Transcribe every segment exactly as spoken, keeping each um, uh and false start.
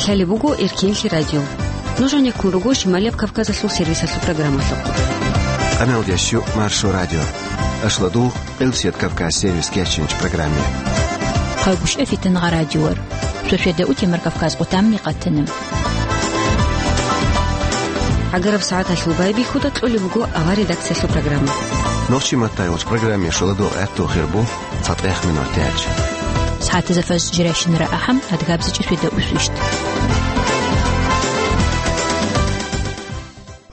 Гьале буго Эркенлъи радио. Нуж гьанеккун руго Шималияб Кавказалъул сервисалъул программалъухъ. Къамел ящу Маршо радио. Ашладугъ Къилсият Кавказ сервис кечинч программе. Хъагушев Фитангъа радиор. Шошеда утемар Кавказ къутамни къатана. ГӀагараб сагӀаталъул байбихьуда кьолеб буго авар редакциялъул программа. Нохчи маттайгъуч программе шоладугъ гӀатту хирбу. ЦатӀех минут тяч. СагӀатазда фаз жирайщинара ахӀам, адгабзичӀи шведа усвищт.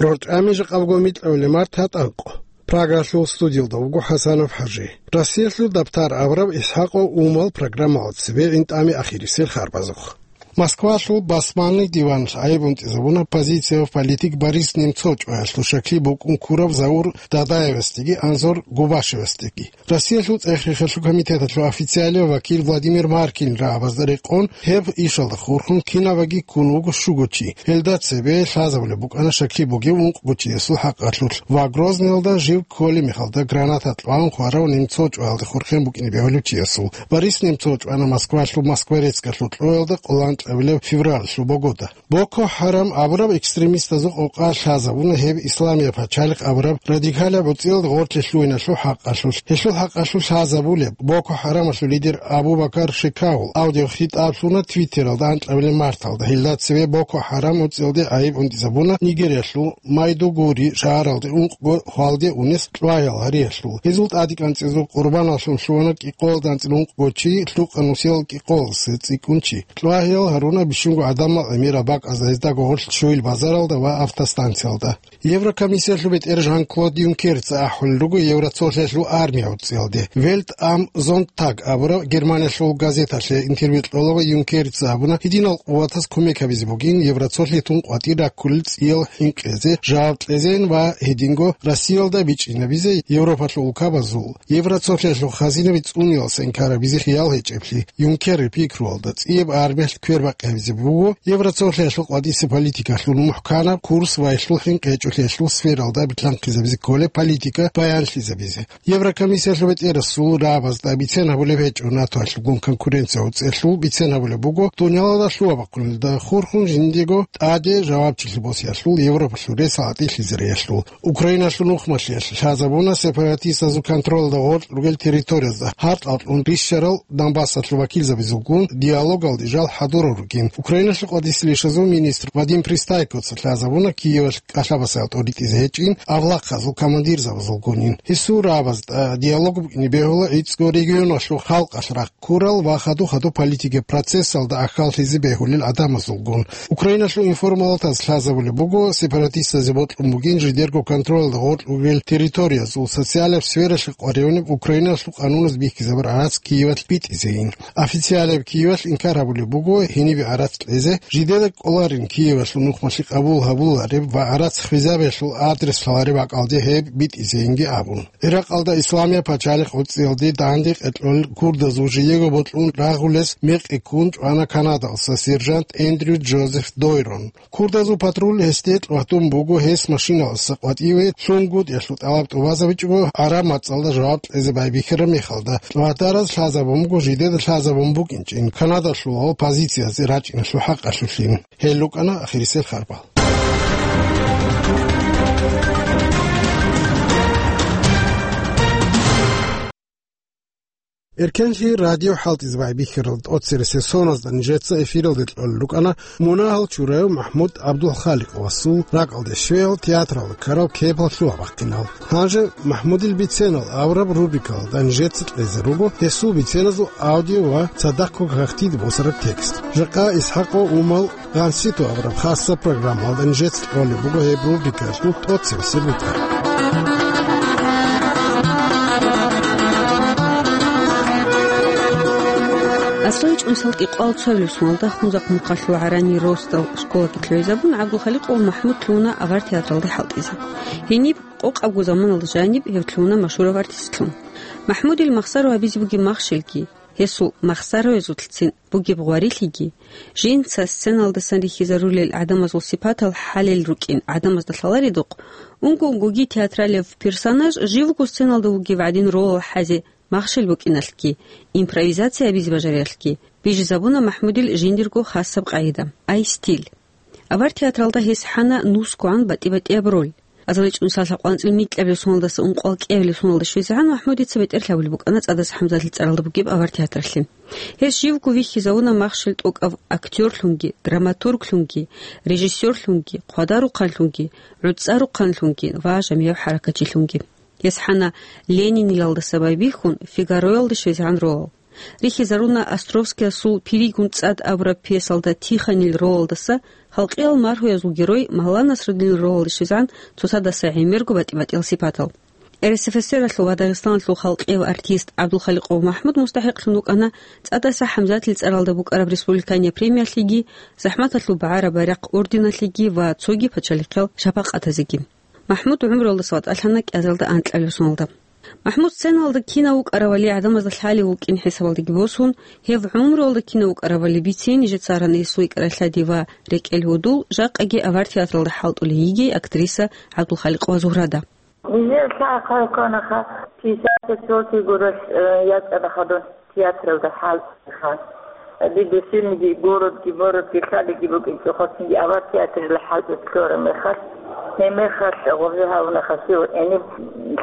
РорчӀами жакъабго микьавли март гьатӀанкъо. Прагалъул студиялда вуго ХӀасанов ХӀажи. Россиялъул дабтар абураб ИсхӀакъо Умал программалда цебе гӀинтӀами ахирисел харбазухъ. Москвалъул басманный диван гӀайиб унтӀизабуна оппозициялъул политик Борис Немцов чӀваялъул шаклъи букӀун ккурав Заур Дадаевасдеги Анзор Губашевасдеги. Россиялъул цӀех-рехалъул комитеталъул официалияв вакил Владимир Маркин рагӀабазда рекъон, гьеб ишалда хурхун кинабаги ккун вуго щуго чи. Гьелда цебе лъазабулеб букӀана шаклъи бугев ункъго чиясул хӀакъалъулъ ва Грозныйалда жив кколеб мехалда граната кьван хварав Немцов чӀваялда хурхен букӀине бегьулев чиясул. Борис Немцов чӀвана Москвалъул Москворецкалъул кьоялда къоло анкьабилеб февралалъул богода. Боко ХӀарам абураб экстремистазул къокъа лъазабуна гьеб исламияб пачалихъ абураб радикалаб гӀуцӀиялда гъорлъе лъугьиналъул хӀакъалъулъ. Гьелъул хӀакъалъулъ лъазабулеб Боко ХӀарамалъул лидер Абу Бакар Шекаул аудиохитӀаблъуна Твиттералда анкьабилеб марталда. Гьелда цеве Боко ХӀарам гӀуцӀиялде гӀайиб унтӀизабуна Нигериялъул Майдугури шагьаралде ункъго хвалде унес кьваял гьариялъул. Гьезул тӀадекӀанцӀизул къурбаналлъун лъугьана кӀикъоялда анцӀила ункъго чи, лъукъа нусиял кӀикъоялдаса цӀикӀкӀун чи. Кьвагьиял гьаруна бищунго гӀадамал гӀемерал бакӀазда, гьездаго гъорлъ щуил базаралда ва автостанциялда. Еврокомиссиялъул бетӀер Жан-Клод Юнкерца ахӀулел руго Евроцолъиялъул армия гӀуцӀиялде. Welt am Sonntag абураб Германиялъул газеталъе интервью кьолеб Юнкерца абуна, гьединал къуватаз кумек гьабизе бугин Евроцолъиялъун къватӀир раккулел цӀиял хӀинкъизе жаваб кьезейин ва гьединго Россиялда бичӀчӀинабизе Европалъул улкабазул Евроцолъиялъул хазинаби цӀуниялдаса инкар гьабизе хиял гьечӀеблъи. Юнкерил пикруялда, цӀияб армиялъ квербакъи гьабизе буго Евроцолъиялъул къватӀиса политикалъул мухӀканаб курс ва гьелъул хӀинкъи гьечӀолъиялъул сфералда битлъанхъизабизе кколеб политика баянлъизабизе. Еврокомиссиялъул бетӀерасул рагӀабазда бицен гьабулеб гьечӀо НАТОялъулгун конкуренция гӀуцӀиялъул, бицен гьабулеб буго дунялалда лъугьа-бахъуналда хурхун жиндиего тӀаде жавабчилъи босиялъул, Европалъул ресал гӀатӀилъизариялъул. Украиналъул нухмалъиялъ лъазабуна сепаратистазул контролалда гъоркь ругел территориязда гьаркьал кьун рищарал Донбассалъул вакилзабазулгун диалогалде жал хӀадурал ругин. Украиналъул къватӀиса лъишазул министр Вадим Пристайкоца лъазабуна Киевалъ кӀалъабасел тӀоритӀизе гьечӀин авлахъазул командирзабазулгунин. Гьесул рагӀабазда диалог букӀине бегьула гӀицӀго регионалъул халкъалъ рахъ ккурал ва хадур-хадур политикаб процессалда ахьаллъизе бегьулел гӀадамазулгун. Украиналъул информалатаз лъазабулеб буго, сепаратистазе бокьун бугин жидерго контролалда гъоркь ругел территориязул социалаб сфералъе къваригӀунеб Украиналъул къануназ бихьизабураб гӀарац Киевалъ битӀизейин. Официалаб Киевалъ инкар гьабулеб буго гьенибе гӀарац кьезе, жидеда кӀоларин Киевалъул нухмалъи къабул гьабулареб ва гӀарац хвезабиялъул адрес лъалареб бакӀалде гьеб битӀизейинги абун. Иракъалда Исламияб пачалихъ гӀуцӀиялде данде къеркьел курдазул жиего бокьун рагъулес мекъи ккун чӀвана Канадалъса сержант Эндрю Джозеф Дойрон. Курдазул патруль гьесде тӀватун буго, гьес машиналъаса къватӀиве лъунгутӀиялъул тӀалаб тӀубазабичӀого гӀараб мацӀалда жаваб кьезе байбихьараб мехалда. ТӀватараз лъазабун буго жидеда лъазабун букӀинчӀин Канадалъулал позициязе рачӀиналъул хӀакъалъулъин. Гьел рукӀана ахирисел харбал. Эркенлъи радио хӀалтӀизе байбихьарал тӀоцересел соназда нижеца эфиралде кьолел рукӀана мунагьал чураяв МахӀмуд ГӀабдулхаликъовасул ракӀалде щвеял театралда ккарал кепал лъугьа-бахъинал. Гьанже МахӀмудил биценал авураб рубрикалда нижеца кьезе руго гьесул биценазул аудио ва цадахъго гьахьтиде босараб текст. Жакъа ИсхӀакъо Умал Гъанситу абураб хасса программалда нижеца кьолеб буго гьеб рубрикалъул тӀоцебесеб бетӀер. Аслан чӀунсал кӀикъоялда цоялъул соналда Хунзахъ мухъалъул ГӀарани росдал школалъе лъугӀизабун, ГӀабдулхаликъов МахӀмуд лъугьуна авар театралда хӀалтӀизе. Гьениб къокъабго заманалда жаниб гьев лъугьуна машгьурав артистлъун. МахӀмудил махсаро гьабизе бугеб махщелги, гьесул махсароязулцин бугеб гъварилъиги, жинца сценалдасан рихьизарулел гӀадамазул сипатал хӀалел рукӀин гӀадамазда лъаларедухъ, унго-унгоги театралияб персонаж жив вуго сценалда вугев гӀадин ролал хӀазе махщел букӀиналъги, импровизация гьабизе бажариялъги, Бижизабуна МахӀмудил жиндирго хасаб къагӀида, ай стиль. Авар театралда гьес хӀана нусгогӀан батӀи-батӀияб роль. АзаличӀун сал лъабкъоялда анцӀила микьабилеб соналдаса ункъоялда кӀиабилеб соналда щвезегӀан МахӀмудица бетӀер лъабулеб букӀана ЦӀадаса ХӀамзатил цӀаралда бугеб авар театралъе. Гьес живго вихьизавуна махщел тӀокӀав актёрлъунги, драматурглъунги, режиссёрлъунги, хъвадарухъанлъунги, гӀуцӀарухъанлъунги ва жамигӀав хӀаракатчилъунги. Гьес хӀана Ленинилалдаса байбихьун Фигароялда щвезегӀан ролал. Рихьизаруна Островскиясул «Пиригун цӀад» абураб пьесалда Тихонил ролалдаса, халкъиял маргьуязул герой Малла Насруддинил ролалда щвезегӀан цоцадаса гӀемерго батӀи-батӀиял сипатал. РСФСРалъул ва Дагъистаналъул халкъияв артист ГӀабдулхаликъов МахӀмуд мустахӀикълъун вукӀана ЦӀадаса ХӀамзатил цӀаралда букӀараб республиканиял премиялъеги, ЗахӀматалъул багӀараб байрахъ орденалъеги ва цоги пачалихъал шапакъатазеги. МахӀмуд гӀумруялдаса ватӀалъана кӀиазарда анкьабилеб соналда. МахӀмуд сценалда кинав вукӀаравали гӀадамазда лъалев вукӀин хӀисабалдеги босун, гьев гӀумруялда кинав вукӀаравали бицин нижеца аран гьесул икӀрай лъади ва рекӀел гьудул, жакъаги авар театралда хӀалтӀулей йигей актриса ГӀабдулхаликъова Зугьрада. Нижер лъай хъвай кканаха, пятьдесят четвёртый гуралъ, э, ячӀана хадуб театралда хӀалтӀиха. Дида щибниги городги, мородги, лъалиги букӀинчӀо, хъосинги авар театралда хӀалтӀизе кколараб мехалъ, гьеб мехалъ гъоркье гьавунаха, щив гӀениб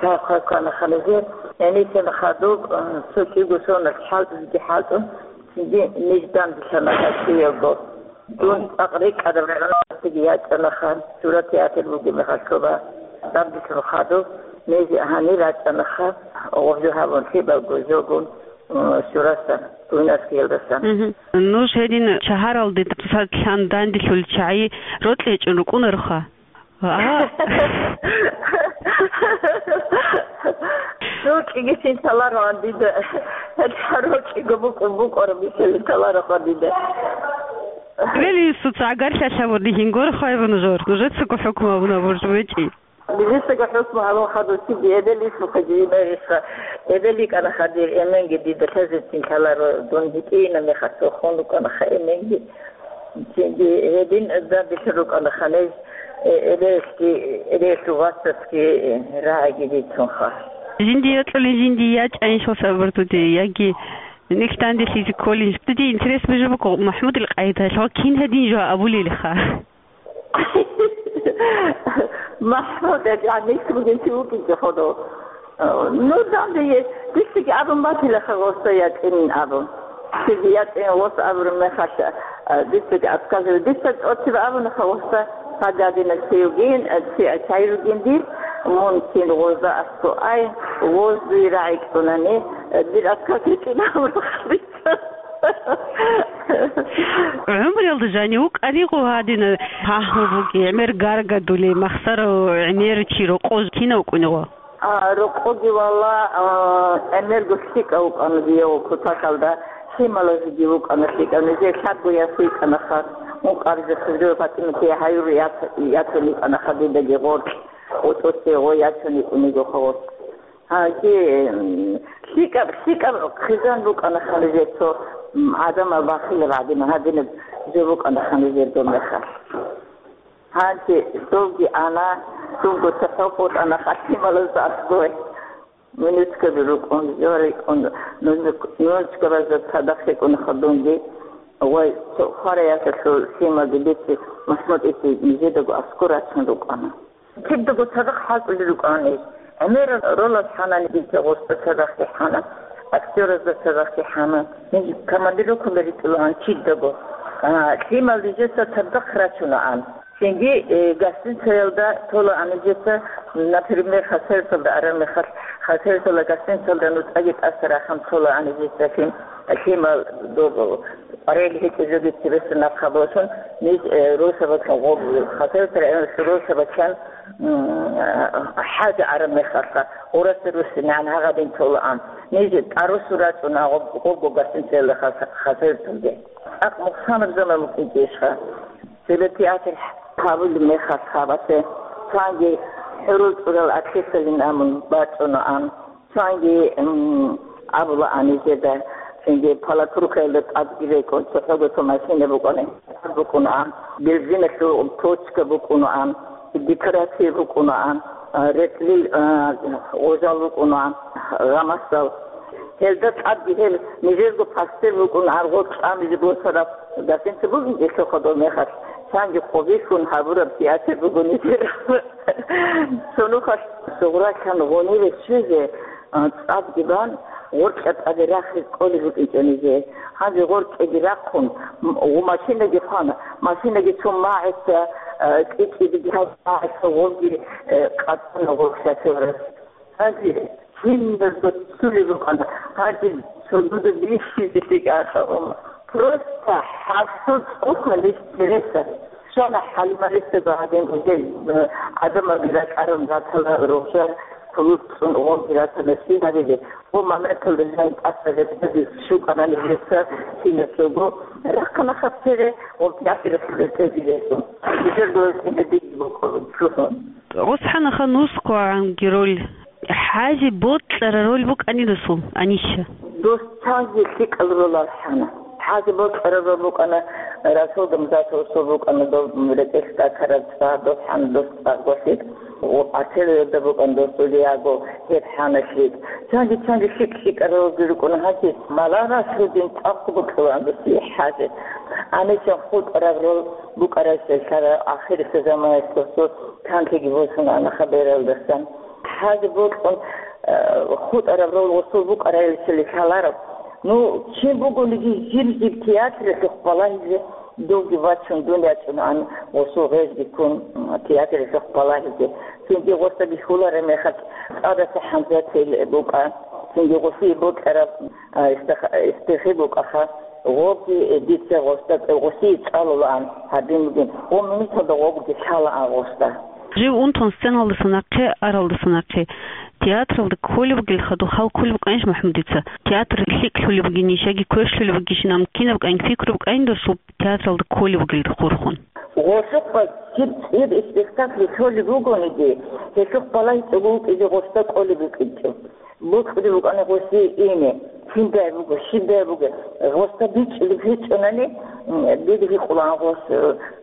лъай хъвай кканаха нижер, гӀенисенаха доб, э, цо кӀиго соналъ хӀалтӀизеги хӀалтӀун, цинги ниж данделъана гьасиялго. Дун цӀакъ рикӀкӀадаб рагӀунасдаги ячӀанаха, сура театр бугеб мехалъ тоба. Дандилъун хадуб, ниж гьанир рачӀанаха, гъоркье гьабун лъибалго жогун, м, сурасан, гуйнасгиялдасан. Мгм. Нуж гьедин шагьаралде цоцазда лъан данделъулел чагӀи рокьи гьечӀун рукӀунароха? А. Рокьиги лъин лъалароан дида. Гьелъ рокьиго букӀун букӀараб бихьулин лъалароха дида. Эбел-инсуца гӀагарлъи лъабурни гьингора хвайбун жор. Нужецаго хӀукму гьабуна бурж вечӀи. Нижецаго хӀукму гьабун хадуб, цинги эбел-инсухъе жинариха. Эбел йикӀанаха дир эменги дида лъазецин лъаларо, дун гьитӀинаб мехалъ хун рукӀанаха эменги. Цинги гьедин данделъун рукӀанаха ниж, э, эбелги, эбелалъул вацасги, э, рагӀиги бицунха. Жинди йокьулин, жинди ячӀайин, щол сабур туде, яги нилъ данделъизе кколин. Диде интерес бижи буго, МахӀмудил къайдалъ гьав кин гьедин жо абулелха? МахӀмуд, я, микь бугин чи вукӀинчӀо хадуб. Ну, данде, дицаги абун батилаха гъоса ячӀинин абун. Дица ячӀин гъос абураб мехалъ, а, дицаги отказываю. Дица тӀоцебе абунаха гъоса, гьадинаб чи вугин, а, чи, а, чай ругин дир, мун кин гъозда аскӀо ай, гъоз дуе рагӀи кьунани, а, дир отказ гьечӀин абунаха дица. ГӀумруялда жанив вукӀариго гьадина, пагьму буги, гӀемер гаргадули, махсарав гӀемер чи рокъо кинав вукӀуниго? А, рокъоги вала, а, гӀемерго лъикӀав вукӀана дияв кутакалда, лъималазеги вукӀана лъикӀав, нижер лъабго яс йикӀанаха, ункъабизе хъизрив ПатӀиматие гьаюр яц-, яцун йикӀанаха дидаги гъоркь, гъотӀосе гъой яцун йикӀуниго хавас. Гьанже, м, лъикӀаб, лъикӀаб хъизан рукӀана ханже цо, м, гӀадамал бахилеб гӀадин, гьадинаб жо букӀана ханжерго мехалъ. Гьанже довги ана, цунго цохӀо хутӀана хӀакималазда аскӀой. Нунечкаби рукӀун, жо рикӀкӀун, нунечкабазда цадахъ рикӀкӀунаха дунги. Вай, цо хвараялъулъ лъималги бици, МахӀмуд ити нижедаго аскӀор рачун рукӀана. Кидаго цадахъ хӀалтӀулел рукӀана ниж. ГӀемерал ролал хӀана нижеца гъосда цадахъги хӀана, актёразда цадахъги хӀана. Ниж командировкаялда ритӀулаан кидаго. А, лъимал нижеца цадахъ рачунаан. Цинги, э, гостиницаялда толаан нижеца, например, хасерталда араб мехалъ, хасертала гостиницаялда нуцӀаги тӀаса рахъун толаан нижеца лъим-, лъимал доб-, къваригӀел гьечӀеб жоги цебесеб нахъа босун, ниж, э, росабаклъун гъоб-, хасертал росабаклъан, м, хӀажа араб мехалъха, гъураса руссинегӀан гьагъадин толаан. Ниж тӀарусу рачӀуна гъоб-, гъобго гостиницаялда хас-, хасерталде. ТӀакъ мухъсанаб заман букӀинчӀищха? Цебе театр гьабулеб мехалъха, цанги хӀурул чӀурал артисталин абун бачӀунаан. Цанги, м, абулаан нижеда, цинги Палатуркаялда тӀадги рекӀун, цохӀого цо машина букӀана, букӀунаан, бензиналъул точка букӀунаан, декорация букӀунаан, а, рекьлил, а, гъожал букӀунаан, гъамасал. Гьелда тӀадги гьел нижерго пастер букӀун аргъор тӀамизе босараб гьасинца бугин гьелъухъа дов мехалъ, чанги хъубилъун гьабураб театр буго нижер. Цо нухалъ сугъралъан гъуниве щвезе, а, цӀадги бан, гъоркьа тӀаде рахиз кӀолеб букӀинчӀо низе. Гьанже гъоркьеги рахъун, м-, машинаги хъвана, машинаги цун магӀиса, а, кӀи-кӀиги гьал магӀиса гъорги, э, къатӀана гъоркьа шофёрас. Гьанже киназго ццулеб букӀана, гьанже цогидаб бихьизе лъикӀ ахӀарун. Просто хӀасул цӀухъалищ интереса. Щвана ХӀалималисаго гьадин, гьел, э, гӀадамалги ракӀарун ратала, рогьжа кулур цӀун гъорги ратана, щиб гьабизе. Гъо моменталда жан тӀаса гьеб щукӀана нижеца киназго. Рахъана хъабцере, гъо театралъ рекӀезе рехун. Нижер доясине диги бокӀо чӀухӀун. ГӀусхӀанаха нусгогӀанги роль, хӀази бокьараб роль букӀани досул, Аниша? Дос цаги лъикӀал роль алхӀана. ХӀази бокьараб роль букӀана, Расул Гамзатовасул букӀана доб рекӀелъ тӀатараб цӀа, дос хӀана дос цӀа гвасид. Ва артелиялда букӀана дос Улиаго, гьеб хӀана лъикӀ. Цаги-цаги лъикӀ-лъикӀаралги рукӀуна гьаси. Малара лъудин цӀакъ букӀулаан дос хӀази. Анисан хутӀараб роль букӀарай лъала ахирисеб заманаялъ досул канлъиги босун ана хабералдасан. ХӀази бокьун, э, хутӀараб роль гъосул букӀарай лъалараб. Ну, чи бугониги жиб-жиб театралъухъ балагьизе довги вачун дун ячӀунаан гъосул гъезги ккун, м, театралъухъ балагьизе. Цинги гъоса бихьулареб мехалъ цӀадаса хӀанзатил букӀа, цинги гъосие бокьараб, а, истах-, истихи букӀаха. Гъоги, э, дица гъоста, гъосие цӀалулаан гьадин бугин, гъо минуталда гъогуги лъалаан гъоста. Жив унтун сценалдаса нахъе аралдаса нахъе театралда кколеб бугелха, духъ хал кколеб букӀанищ МахӀмудица? Театр лъикӀ лъолеб бугин, нижеги квешлъулеб бугищин, амма кинаб букӀанин пикру букӀанин досул театралда кколеб бугелда хурхун? Гъолъухъа киб цӀир спектакль лъолеб бугониги, гьелъухъ балагьичӀого вукӀизе гъоста кӀолеб букӀинчӀо. Бокьулеб букӀана гъосие ине, киндай буго, щибдай буго. Гъоста бичӀчӀулеб гьечӀонани, м, дида гьикъулаан гъос,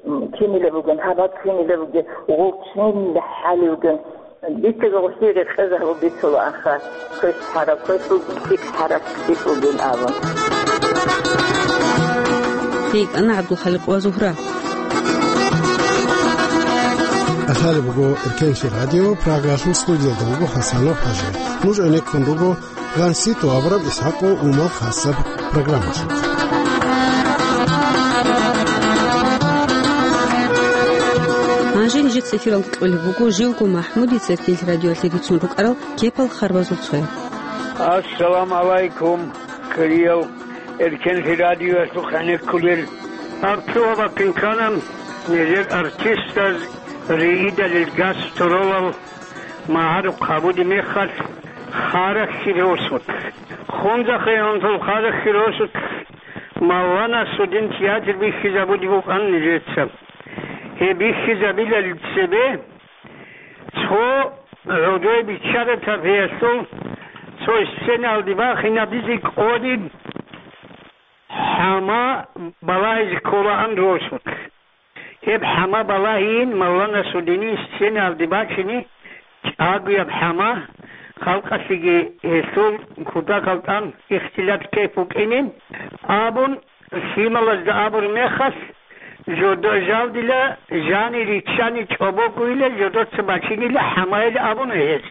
м, кинила бугин, гьаб кинила бугин, гъов кинила хӀалев вугин. Дица гъосие рекъезаб бицула аха, квеш хӀараб, квеш лъикӀ хӀараб кӀицӀулгин абун. РикӀкӀана ГӀабдулхаликъ ва Зугьра. Асалеб буго Эркенлъи радио, Прагалъул студиялда вуго Хасанов ХӀажи. Нуж гӀенеккун руго ГъанситӀу абураб ИсхӀакъ ва Умал хасаб программалъ. Гьанже нижеца эфиралда кьолеб буго живго МахӀмудица Эркенлъи радиоялъе бицун рукӀарал кепал харбазул цояб. Ассаламу гӀалайкум, хириял Эркенлъи радиоялъухъ гӀенеккулел. Гьаб цо бакӀин ккана нижер артистаз риидалил гастролал магӀарухъ гьабуди мехалъ, Харахьи росулъ. Хунзахъе унтул Харахьи росулъ Малла Насрудин театр бихьизабуди букӀан нижеца. Гьеб бихьизабилалде цебе цо гӀодой биччаратаб гьелъул цо сценалде бахинабизе кӀолеб хӀама балагьизе кколаан росулъ. Гьеб хӀама балагьиин Малла Насрудинил сценалде бачине чӀагояб хӀама, халкъалъеги гьелъул кутакалда тӀад ихтилат-кайф букӀинин абун, лъималазда абураб мехалъ, жодо-, жалдила жани риччани чӀобогойила, жодоца бачинила хӀамайилан абуна гьез.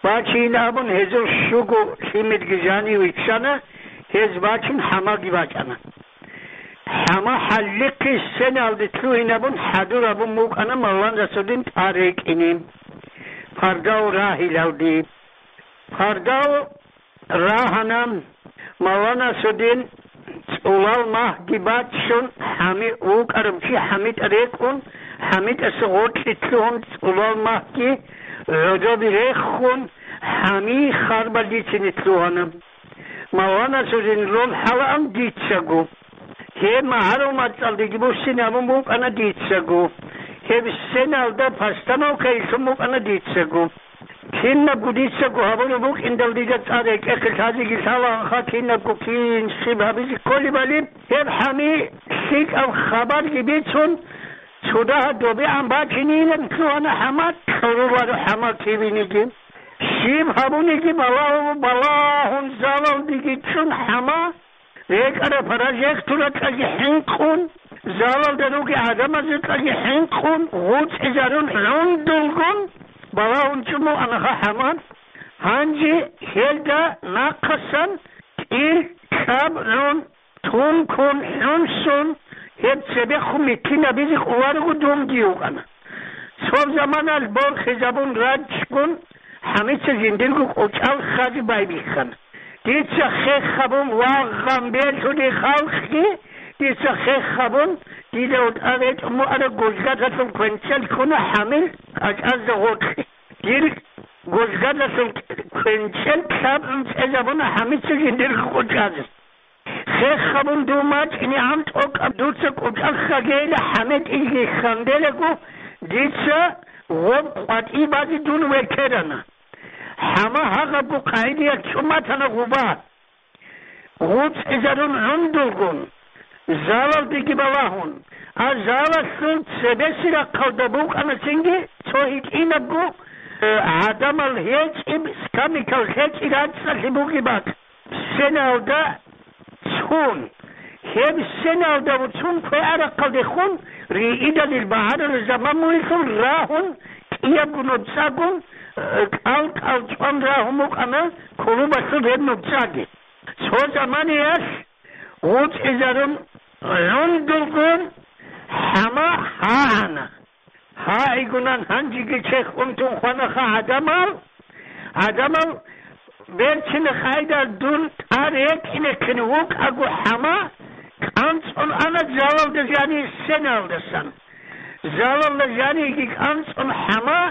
Бачейин абун гьезул щуго лъимерги жани виччана, гьез бачин хӀамаги бачӀана. ХӀама хӀалихъе сценалде лъугьинабун хӀадур абун букӀана Малла Насрудин тӀад рекӀине. Пардав рагьилалде. Пардав рагьана, Малла Насрудин цӀулал магьги бачун, хӀами-, вукӀарав чи ХӀамитӀа рекӀун, ХӀамитӀаса гъоркье лъугьун цӀулал магьги гӀодобе рехун, хӀами харбалдицине лъугьана. Малла Насрудин роль хӀалаан дицаго. Гьеб магӀарул мацӀалдеги буссинабун букӀана дицаго. Гьеб сценалда постановка илъун букӀана дицаго. Кинабго дицаго гьабураб букӀиндал дида цӀар рекӀехъе лъазеги лъалаанха, кинабго кин щиб гьабизе кколебали, гьеб хӀами лъикӀаб хабарги бицун, цо дагьа добегӀан бачинилан лъугьана хӀама, кьуруларо хӀама кивиниги. Щиб гьабуниги балагьу-, балагьун ичӀчӀун хӀама, рекӀараб паражехтуратлъаги хӀинкъун, залалда руги гӀадамазукьаги хӀинкъун, гъуцӀизарун гӀундулгун, балагьун чӀуму анаха хӀама. Гьанже гьелда нахъасан кӀил кьабгӀун, тункун, хӀунсун, гьеб цебехун миккинабизе къуларого дунги вукӀана. Цо заманалъ борхизабун рачӀчӀун, хӀамица жиндирго кӀочӀал хъазе байбихьана. Дица хех гьабун вагъгъан белъуни халкъги, дица хех гьабун, дида вутӀа ретӀун вуараб гужгадалъун квенчӀел ккуна хӀамил кӀачӀазда гъоркье. Дир гужгадалъун квенчӀел кьабун цӀезабуна хӀамица жиндирго кӀочӀазе. Хех гьабун дов мачӀинегӀан тӀокӀаб дуца кӀочӀал хъагейила хӀамет илги хьанделего, дица гъоб къватӀи базе дун векерана. ХӀама гьагъабго къагӀидаялъ чӀуматана гъуба. ГъуцӀизарун гӀундулгун, залалдеги балагьун, а залалъул цебесеб рахъалда букӀана цинги цо гьитӀинабго, э, гӀадамал гьечӀеб, скамикал гьечӀеб рацӀцӀалъи бугеб бакӀ. Сеналда цун, гьеб сеналда вуцун квегӀарахъалдехун риидалил багӀарараб заман мугьилъун рагьун, кӀиябго нуцӀагун, э, кӀал-кӀал чӀван рагьун букӀана клубалъул гьеб нуцӀаги. Цо заманиялъ гъуцӀизарун гӀундулгун хӀама гьагьана. Гьагьигунан гьанжеги чехь унтун хванаха гӀадамал. ГӀадамал берцина хайдар дун тӀад рекӀинехъин вукӀаго хӀама кӀанцӀун ана залалда жани сеналдасан. Залалда жаниги кӀанцӀун хӀама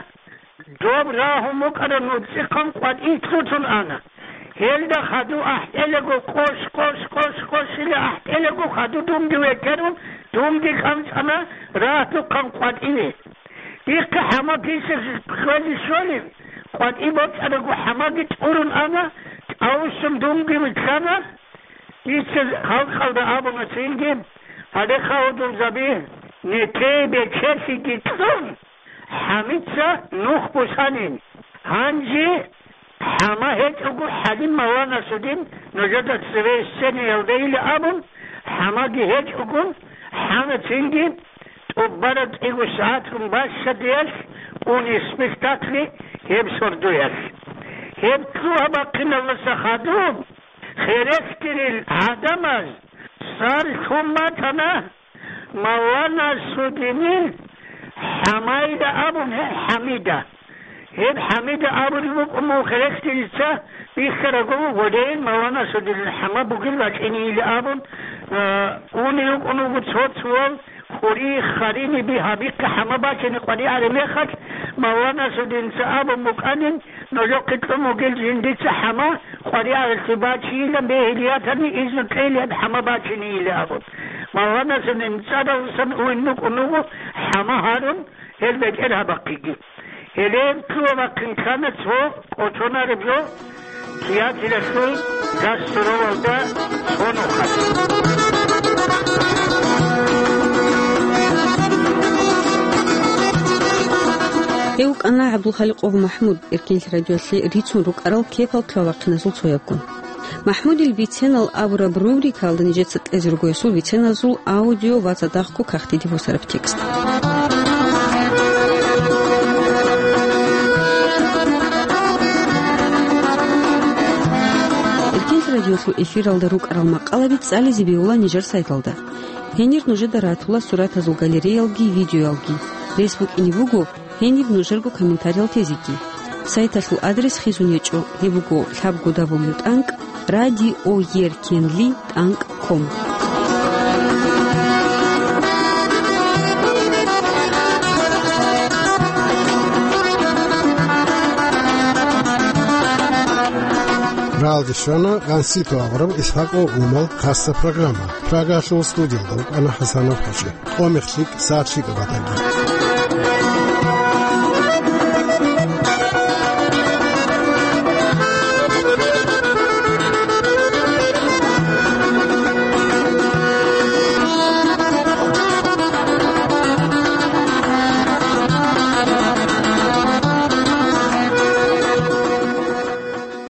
доб рагьун букӀараб нуцӀихъан къватӀи лъутун ана. Гьелда хадув ахӀелаго къош, къош, къош, къошила ахӀелаго хадув дунги векерун, дунги кӀанцӀана рагьдухъан къватӀиве. Дихъе хӀама писа хвезе щолеб, къватӀи бокьараго хӀамаги тӀурун ана, тӀавуссун дунги вилълъана. Дица халкъалда абуна цинги, гьале хавдулзаби, нетее бечелъиги кьун, хӀамица нух бусанин. Гьанже хӀама гьечӀого, ХӀалим Малла Насудин нужеда цеве сценаялдайила абун, хӀамаги гьечӀогун, хӀана цинги тӀубараб кӀиго сагӀатгун бащадиялъ уни спектакли гьеб сордоялъ. Гьеб лъугьа-бахъиналдаса хадуб, херехъдирил гӀадамаз сар лъун батана Малла Насудинил ХӀамайда абун, гье, ХӀамида. Гьеб ХӀамида абулеб букӀун буго херехъдирица бихьарабго, гъодейин Малла Насудинил хӀама бугел бачӀинейила абун, а, унев вукӀун вуго цо-цоял, хури, хариниби гьабихъе хӀама бачине къваригӀараб мехалъ, Малла Насудинца абун букӀанин, нужехъе кьун бугел жиндица хӀама къваригӀаралъе бачейилан бегьилиятани, изну кьейилан хӀама бачинейила абун. Малла Насудин цӀадалдасан уйин букӀун вуго хӀама гьарун гьел бетӀергьабахъеги. Гьеле лъугьа-бахъин ккана цо кӀочонареб жо театралъул гастролалда цо нухалъ. Гьев вукӀана ГӀабдулхаликъов МахӀмуд, Эркенлъи радиоялъе рицун рукӀарал кепал лъугьа-бахъиназул цоябгун. МахӀмудил биценал абураб рубрикаялда нижеца кьезе руго гьесул биценазул аудио ва цадахъго кагътиде босараб текст. Эркенлъи радиоялъул эфиралда рукӀарал макъалаби цӀализе бегьула нижер сайталда. Гьенир нужеда ратула суратазул галереялги видеоялги. Рес букӀине буго гьениб нужерго комментариял тезеги. Сайталъул адрес хизун гьечӀо, гьеб буго лъабго дабл ю тӀанкӀ радиоеркенли тӀанкӀ ком. Ралги щвана Гансипов Аврал Исхаков умал хасса программа. Прагалъул студиялда вукӀана ХӀасанов ХӀажи. Къомихъ лъикӀ, сагӀат лъикӀаб батаги.